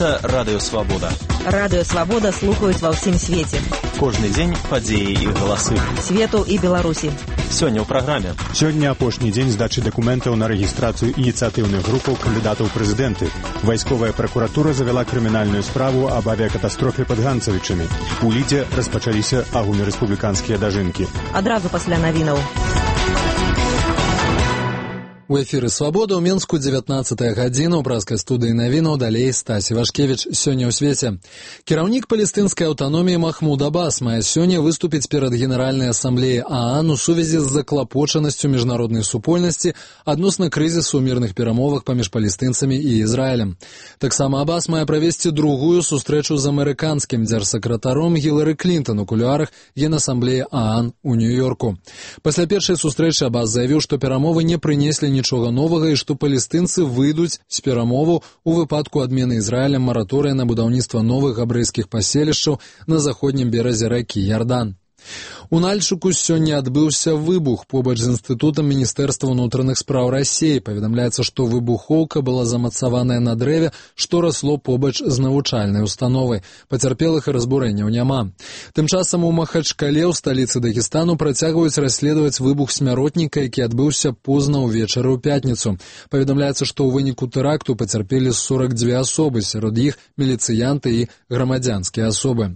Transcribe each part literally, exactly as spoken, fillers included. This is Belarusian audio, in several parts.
Гэта Радыё Свабода. Радыё Свабода слухаюць ва ўсім свеце. Кожны дзень падзеі і галасы. Свету і Беларусі. Сёння ў праграме. Сёння апошні дзень здачы дакументаў на рэгістрацыю ініцыятыўных групаў кандыдатаў ў прэзідэнты. Вайсковая пракуратура завяла крымінальную справу аб авіякатастрофе пад Ганцавічамі. У Лідзе распачаліся агульнарэспубліканскія дажынкі. Адразу пасля навінаў. У эфіры «Свабода» ў Менску дзевятнаццатая гадзіна, у празкай студыі навінаў, далей Стасі Вашкевіч. Сёння ў свеце. Кіраўнік палестынскай аўтаноміі Махмуд Аббас мае сёння выступіць перад Генеральнай асамблеяй ААН у сувязі з заклапочанасцю міжнароднай супольнасці адносна крызісу ў мірных перамовах паміж палестынцамі і Ізраілем. Таксама Аббас мае правесці другую сустрэчу з амерыканскім дзяржсакратаром Гілары Клінтон у кулуарах Генасамблеі ААН у Нью-Йорку. Пасля першай сустрэчы Аббас заявіў, што перамовы не прынеслі нічога новага і што палестынцы выйдуць з перамоваў у выпадку адмены Ізраілем мараторыя на будаўніцтва новых габрэйскіх паселішчаў на заходнім беразе ракі Ярдан. У Нальчыку сёння адбыўся выбух побач з інстытутам Міністэрства ўнутраных спраў Расіі. Паведамляецца, што выбухоўка была замацаваная на дрэве, што расло побач з навучальнай установай. Пацярпелых і разбурэнняў няма. Тым часам у Махачкале, у сталіцы Дагестану, працягваюць расследаваць выбух смяротніка, які адбыўся позна ўвечары ў пятніцу. Паведамляецца, што ў выніку тэракту пацярпелі сорок дзве асобы, сярод іх міліцыянты і грамадзянскія асобы.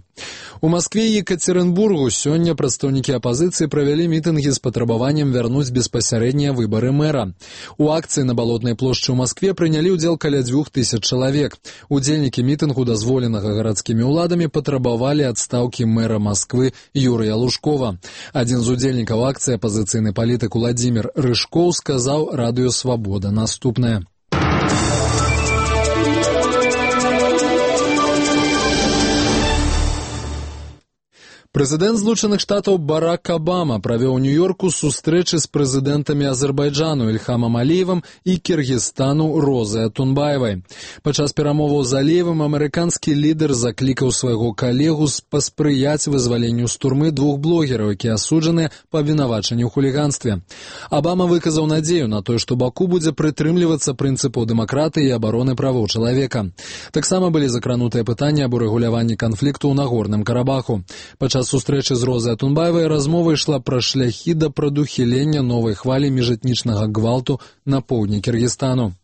У Маскве і Екатеринбургу сёння прадстаўнікі апазіцыі правялі мітынгі з патрабаваннем вярнуць беспасярэднія выбары мэра. У акцыі на Балотнай плошчы ў Маскве прынялі ўдзел каля дзвюх тысяч чалавек. Удзельнікі мітынгу, дазволенага гарадскімі ўладамі, патрабавалі адстаўкі мэра Масквы Юрыя Лужкова. Адзін з удзельнікаў акцыі, апазіцыйны палітык Уладзімір Рыжкоў, сказаў Радыё Свабода наступнае. Прэзідэнт Злучаных Штатаў Барак Абама правёў у Нью-Йорку сустрэчы з прэзідэнтамі Азербайджану Ільхамам Аліевым і Кіргізстану Розай Атунбаевай. Падчас перамоваў з Аліевым амерыканскі лідар заклікаў свайго калегу паспрыяць вызваленню з турмы двух блогераў, якія асуджаныя па абвінавачанні ў хуліганстве. Абама выказаў надзею на тое, што Баку будзе прытрымлівацца прынцыпаў дэмакратыі і абароны правоў чалавека. Таксама былі закранутыя пытанні аб урэгуляванні канфлікту ў Нагорным Карабаху. Падчас сустрэчы з Розай Атунбаевай размова ішла пра шляхі да прадухілення новай хвалі міжэтнічнага гвалту на поўдні Кіргізстану.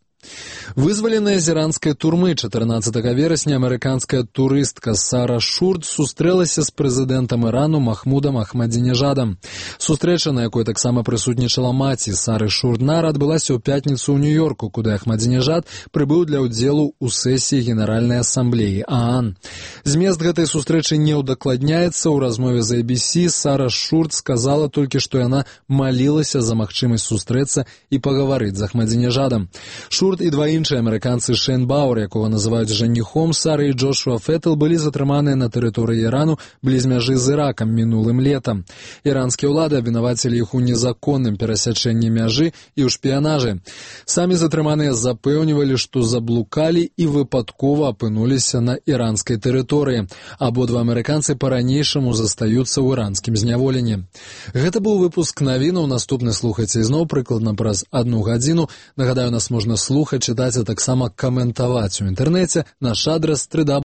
Вызваленая з іранскай турмы чатырнаццатага верасня амерыканская турыстка Сара Шурд сустрэлася з прэзідэнтам Ірану Махмудам Ахмадзінежадам. Сустрэча, на якой таксама прысутнічала маці Сары Шурднар, адбылася ў пятніцу ў Нью-Йорку, куды Ахмадзінежад прыбыў для ўдзелу ў сесіі Генеральнай асамблеі ААН. Змест гэтай сустрэчы не ўдакладняецца. У размове з эй би си Сара Шурд сказала толькі, што яна малілася за магчымасць сустрэцца і пагаварыць з Ахмадзінежадам. Шурд і два іншыя амерыканцы Шейн Бауэр, якога называюць жаніхом Сары, і Джошуа Феттл былі затрыманыя на тэрыторыі Ірану бліз мяжы з Іракам мінулым летам. Іранскія ўлады абвінавацілі іх у незаконным перасячэнні мяжы і ў шпіянажы. Самі затрыманыя запэўнівалі, што заблукалі і выпадкова апынуліся на іранскай тэрыторыі. Абодва амерыканцы па-ранейшаму застаюцца ў іранскім зняволенні. Гэта быў выпуск навінаў. Наступны слухайце ізноў прыкладна праз адну гадзіну. Нагадаю, нас можна слухаць, чытаць, а таксама каментаваць у інтэрнэце. Наш адрас три